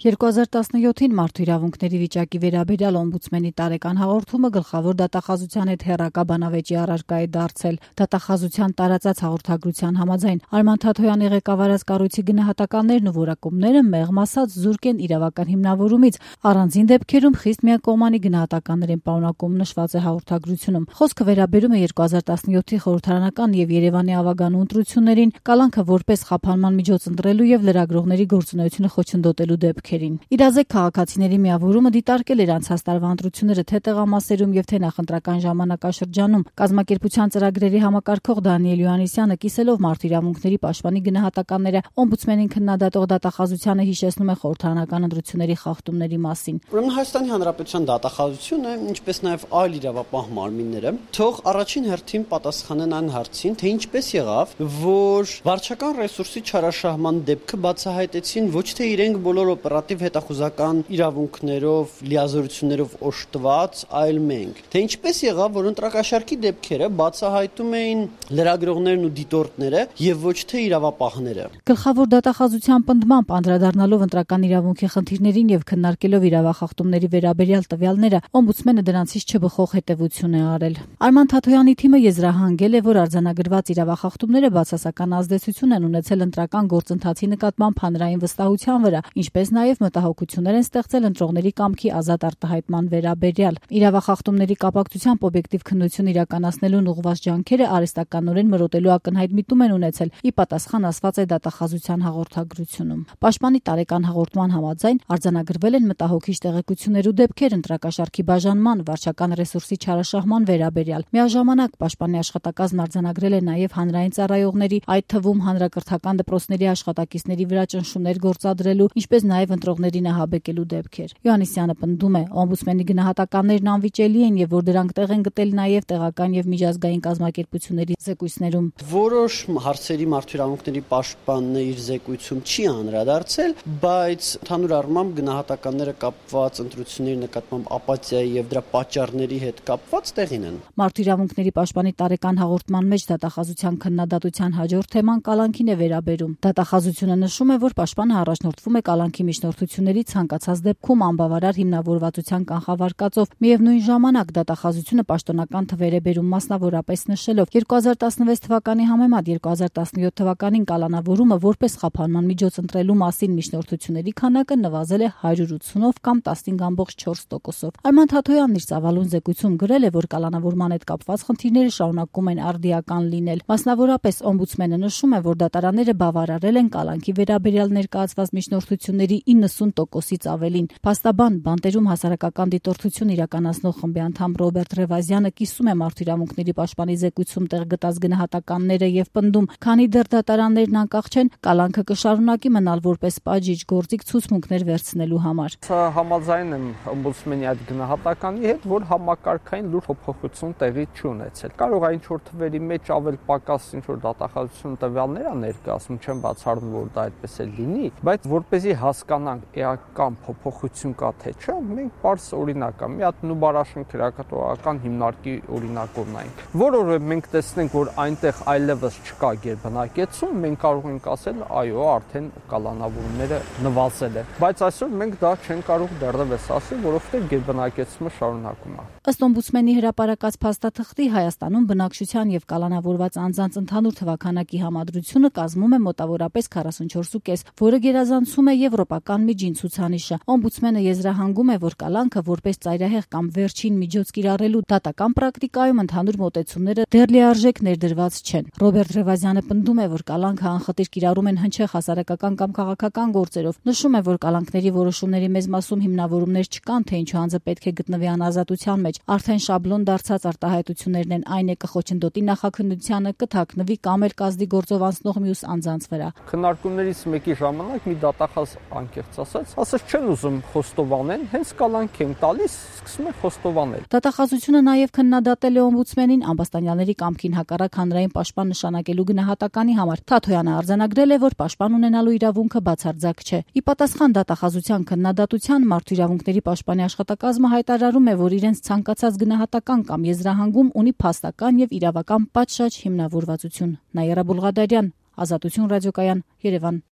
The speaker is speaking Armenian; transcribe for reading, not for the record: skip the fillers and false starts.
2017-ին մարդու իրավունքների վիճակի վերաբերյալ օմբուդսմենի տարեկան հաղորդումը գլխավոր դատախազության հետ հեռակա բանավեճի առարկա է դարձել։ Դատախազության տարածած հաղորդագրության համաձայն Արման Թաթոյանի ղեկավարած կառույցի գնահատականներն ու որակումները մեղմ ասած զուրկ են իրավական հիմնավորումից, առանձին դեպքերում խիստ միակողմանի գնահատականներ են պարունակում, նշված է հաղորդագրությունում։ Խոսքը վերաբերում է 2017-ի խորհրդարանական եւ Երևանի ավագանու ընտրություններին, կալանքը որպես խափանման միջոց ընտրելու եւ լրագրողների գործունեությունը խոչընդոտելու դեպքերին։ Իրազեկ քաղաքացիների միավորումը դիտարկել էր անցած տարվա ընտրությունները թե տեղամասերում եւ թե նախընտրական ժամանակաշրջանում։ Կազմակերպության ծրագրերի համակարգող Դանիել Յոհաննիսյանը կիսելով մարդու իրավունքների պաշտպանի գնահատականները օմբուդսմենին քննադատող դատախազությանը հիշեցնում է խորհրդարանական ընտրությունների խախտումների մասին։ Ուրեմն Հայաստանի Հանրապետության դատախազությունը, ինչպես նաեւ այլ իրավապահ մարմինները, թող առաջին հերթին պատասխանեն այն հարցին, թե ինչպես եղավ, որ վարչական ռեսուրսի չարաշահման դեպքը բացահայտեցին ոչ թե իրենք բոլոր օպերատիվ հետախուզական իրավունքներով, լիազորություններով օժտված, այլ մենք։ Թե ինչպես եղավ, որ ընտրակաշառքի դեպքերը բացահայտում էին լրագրողներն ու դիտորդները եւ ոչ թե իրավապահները։ Գլխավոր դատախազության պնդմամբ անդրադառնալով ընտրական իրավունքի խնդիրներին եւ քննարկելով իրավախախտումների վերաբերյալ տվյալները, օմբուդսմենը դրանցից չբխող հետևություն է արել։ Արման Թաթոյանի թիմը եզրահանգել է, որ արձանագրված իրավախախտումները բացասական ազդեցություն են ունեցել ընտրական գործընթացի նկատմամբ հանրային վստահության վրա, ինչպես նաեւ մտահոգություններ են ստեղծել ընտրողների կամքի ազատ արտահայտման վերաբերյալ։ Իրավախախտումների կապակցությամբ օբյեկտիվ քննություն իրականացնելուն ուղղված ջանքերը արհեստականորեն մրոտելու ակնհայտ միտում են ունեցել, ի պատասխան ասված է դատախազության հաղորդագրությունում։ Պաշտպանի տարեկան հաղորդման համաձայն արձանագրվել են մտահոգիչ տեղեկություններ ու դեպքեր ընտրակաշառքի բաժանման, վարչական ռեսուրսի չարաշահման վերաբերյալ։ Միաժամանակ պաշտպանի աշխատակազմն արձանագրել է նաեւ հանրային ծառայողների, այդ թվում հանրակրթական դպրոցների աշխատակիցների վրա ճնշումներ գործադրելու, ինչպես նաեւ ընտրողների նահաբեկելու դեպքեր։ Յոհաննիսյանը պնդում է, օմբուդսմենի գնահատականներն անվիճելի են եւ որ դրանք տեղ են գտել նաեւ տեղական եւ միջազգային կազմակերպությունների զեկույցներում։ Որոշ հարցերի մարդու իրավունքների պաշտպանն իր զեկույցում չի անդրադարձել, բայց ընդհանուր առմամբ գնահատականները կապված ընտրությունների նկատմամբ ապաթիայի եւ դրա պատճառների հետ կապված տեղին են։ Մարդու իրավունքների պաշտպանի տարեկան հաղորդման մեջ դատախազության քննադատության հաջորդ թեման կալանքին է վերաբերում։ Դատախազությունը նշում է, որ պաշտպանը առաջնորդվում է կալանքի միջնորդությունների ցանկացած դեպքում անբավարար հիմնավորվածության կանխավարկածով։ Միևնույն ժամանակ դատախազությունը պաշտոնական թվեր է բերում, մասնավորապես նշելով 2016 թվականի համեմատ 2017 թվականին կալանավորումը որպես խափանման միջոց ընտրելու մասին միջնորդությունների քանակը նվազել է 180-ով կամ 15.4%-ով։ Արման Թաթոյանն իր ծավալուն զեկույցում գրել է, որ կալանավորման հետ կապված խնդիրները շարունակում են արդիական լինել։ Մասնավորապես օմբուդսմենը նշում է, որ դատարանները բավարարել են կալանքի վերաբերյալ ներկայացված միջնորդությունների 90%-ից ավելին։ Փաստաբան բանտերում հասարակական դիտորդություն իրականացնող խմբի անդամ Ռոբերտ Ռևազյանը կիսում է մարդու իրավունքների պաշտպանի զեկույցում տեղ գտած գնահատականները եւ պնդում, քանի դեռ դատարաններն անկախ չեն, կալանքը կշարունակի մնալ որպես պատժիչ գործիք ցուցմունքներ վերցնելու համար։ Համաձայն եմ օմբուդսմենի այդ գնահատականի հետ, որ համակարգային լուրջ փոփոխություն տեղի չունեցել։ Կարող է ինչ-որ թվերի մեջ ավել պակաս ինչ-որ դատախազություն տվյալներ ա ներկայացնում, չեմ բացառում, որ դա այդպես է լինի, բայց որպեսզի հասկանանք էական փոփոխություն կա թե չէ, մենք պարզ օրինակ կա, մի հատ Նուբարաշեն քրեակատվական հիմնարկի օրինակ ունենք, որը մենք տեսնենք, որ այնտեղ այլևս չկա գերբնակեցում, մենք կարող ենք ասել, այո, արդեն կալանավորումները նվազել են, բայց այսօր մենք դա չենք կարող դեռևս ասել, որովհետև գերբնակեցումը շարունակում է։ Ըստ օմբուդսմենի հրապարակած փաստաթղթի Հայաստանում բնակչության եւ կալանավորված անձանց ընդհանուր թվաքանակի համադրությունը կազմում է մոտավորապես 44.5, որը գերազանցում է եվրոպական միջին ցուցանիշը։ Օմբուդսմենը եզրահանգում է, որ կալանքը որպես ծայրահեղ կամ վերջին միջոց կիրառելու դատական պրակտիկայում ընդհանուր մոտեցումները դեռ լիարժեք ներդրված չեն։ Ռոբերտ Ռևազյանը պնդում է, որ կալանքը անխտիր կիրառում են հնչեղ հասարակական կամ քաղաքական գործերով։ Նշում է, որ կալանքների որոշումների մեծ մասում հիմնավորումներ չկան, թե ինչու անձը պետք է գտնվի անազատության մեջ։ Արդեն շաբլոն դարձած արտահայտություններն են, այն է կխոչընդոտի նախաքննությանը, կթաքնվի կամ էլ կազդի գործով անցնող մյուս անձանց վրա։ Քննարկումներից մեկի ժամանակ մի դատախազ անկեղծ ասաց չեն ուզում խոստովանեն, հենց կալանք են տալիս, սկսում են խոստովանել։ Դատախազությունը նաև քննադատել է օմբուդսմենին ամբաստանյալների կամքին հակառակ հանրային պաշտպան նշանակելու գնահատականի համար։ Թաթոյանը արձանագրել է, որ պաշտպան ունենալու իրավունքը բացարձակ չէ։ Ի պատասխան դատախազության քննադատության մարդու իրավունքների պաշտպանի աշխատակազմը հայտարարում է, որ իրենց ցանկացած գնահատական կամ եզրահանգում ունի փաստական եւ իրավական պատշաճ հիմնավորվածություն։ Նաիրա Բուլղադարյան, Ազատություն ռադիոկայան, Երևան։